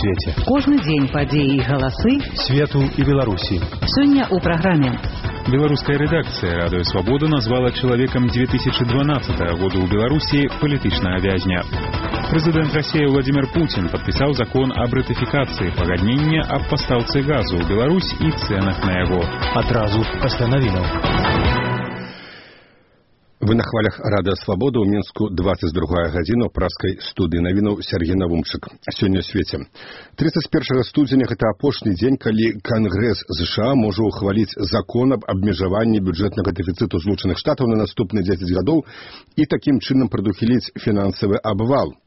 свеце. Кожны дзень падзеі і галасы Свету і Беларусі. Сёння ў праграме. Беларуская рэдакцыя «Радыё Свабода» назвала чалавекам 2012 года ў Беларусі палітычнага вязня. Прэзідэнт Расіі Владимир Путин падпісаў закон аб ратыфікацыі пагаднення аб пастаўцы газу ў Беларусь і цэнах на яго. Адразу пасля навінаў. Вы на хвалях Радыё Свабода ў Мінску 22 гадзіна ў праскай студыі навінаў Сергей Навумчык. Сёння ў свеце. 31 студзеня гэта апошні дзень, калі Кангрэс США можа ухваліць закон аб абмежаванні бюджэтнага дэфіцыту Злучаных Штатаў на наступныя 10 гадоў і такім чынам прадухіліць фінансавы абвал.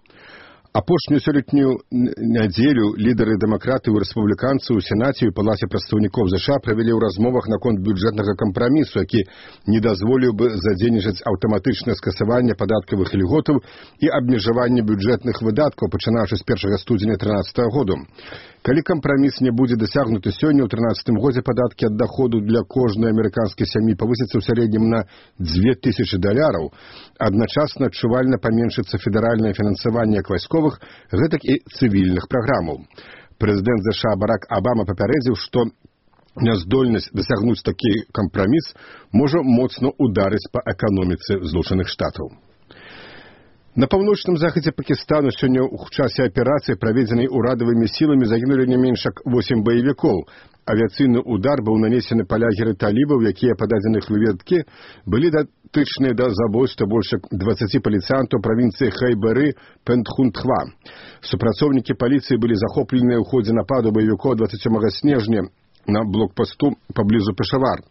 Апошнюю сёлетнюю нядзелю лідары дэмакратаў і рэспубліканцаў у Сенаце і Палаце прадстаўнікоў США правялі ў размовах наконт бюджэтнага кампрамісу, які не дазволіў бы задзейнічаць аўтаматычнае скасаванне падаткавых ільготаў і абмежаванне бюджэтных выдаткаў, пачынаючы з 1 студзеня 2013 году. Калі кампраміс не будзе дасягнуты сёння, ў 2013 годзе падаткі ад даходу для кожнай амерыканскай сям'і павысяцца ў сярэднім на $2000, адначасна адчувальна паменшыцца федэральнае фінансаванне як вайсковых, гэтак і цывільных праграмаў. Прэзідэнт США Барак Абама папярэдзіў, што няздольнасць дасягнуць такі кампраміс можа моцна ударыць па эканоміцы Злучаных Штатаў. На паўночным захадзе Пакістану сёння ў часе аперацыі, праведзенай урадавымі сіламі, загінулі не менш як 8 баевікоў. Авіяцыйны удар быў нанесены па лагеры талібаў, якія, па дадзеных выведкі, былі датычныя да забойства больш як 20 паліцыянтаў правінцыі Хайбары Пентхунтхва. Супрацоўнікі паліцыі былі захопленыя ў ходзе нападу баевікоў 27 снежня на блокпасту паблізу Пешавар.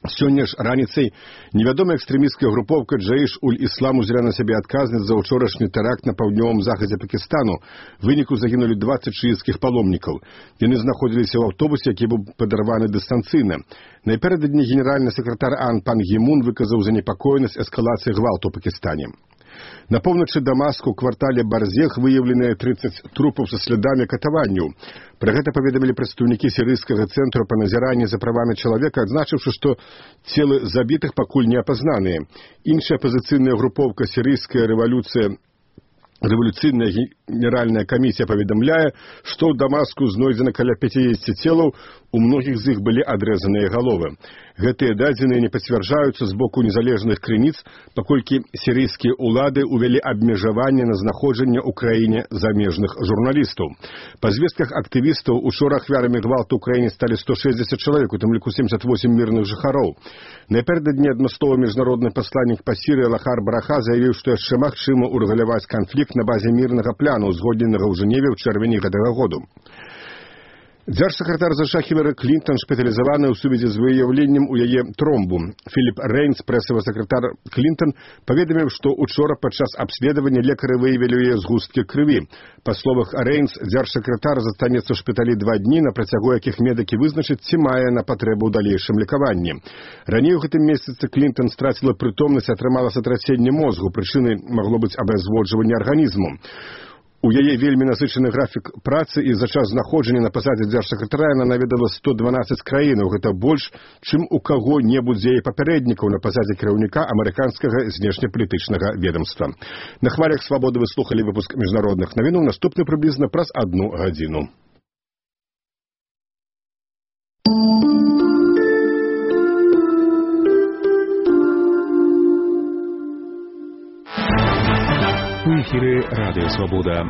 Сёння ж раніцай невядомая экстрэмісцкая групоўка Джаіш-уль-Іслам узяла на сябе адказнасць за ўчорашні тэракт на паўднёвым захадзе Пакістану. У выніку загінулі 20 шыіцкіх паломнікаў. Яны знаходзіліся ў аўтобусе, які быў падарваны дыстанцыйна. Напярэдадні генеральны сакратар АН пан Гімун выказаў занепакоенасць эскалацыі гвалту ў Пакістане. На поўначы Дамаску ў квартале Барзех выяўленыя 30 трупаў са слядамі катаванняў. Пра гэта паведамілі прадстаўнікі сірыйскага цэнтру па назіранні за правамі чалавека, адзначыўшы, што целы забітых пакуль не апазнаныя. Іншая апазіцыйная групоўка сірыйская рэвалюцыйная генеральная камісія паведамляе, што ў Дамаску знойдзена каля 50 целаў, у многіх з іх былі адрэзаныя галовы. Гэтыя дадзеныя не пацвярджаюцца з боку незалежных крыніц, паколькі сірыйскія ўлады ўвялі абмежаванне на знаходжанне ў краіне замежных журналістаў. Па звестках актывістаў, учора ахвярамі гвалту ў краіне сталі 160 чалавек, у тым ліку 78 мірных жыхароў. Напярэдадні адмысловы міжнародны пасланнік па Сірыі Лахар Браха заявіў, што яшчэ магчыма ўрэгуляваць канфлікт на базе мірнага пляну, узгодненага ў Жэневе ў чэрвені гэтага году. Дзяржсакратар США Хілары Клінтон шпіталізаваны ў сувязі з выяўленнем у яе тромбу. Філіп Рэйнс, прэсавы сакратар Клінтон, паведаміў, што учора падчас абследавання лекары выявілі ў яе згусткі крыві. Па словах Рэйнс, дзяржсакратар застанецца ў шпіталі 2 дні, на працягу якіх медыкі вызначаць, ці мае на патрэбу ў далейшым лекаванні. Раней у гэтым месяцы Клінтон страціла прытомнасць, атрымала сатраценне мозгу, прычынай магло быць абязводжванне арганізму. У яе вельмі насычаны графік працы, і за час знаходжання на пасадзе дзяржсакратара яна наведала 112 краінаў. Гэта больш, чым у каго-небудзь з яе папярэднікаў на пасадзе кіраўніка амерыканскага знешнепалітычнага ведамства. На хвалях Свабоды вы слухалі выпуск міжнародных навінаў, наступны прыблізна праз 1 гадзіну. У эфіры Радыё Свабода.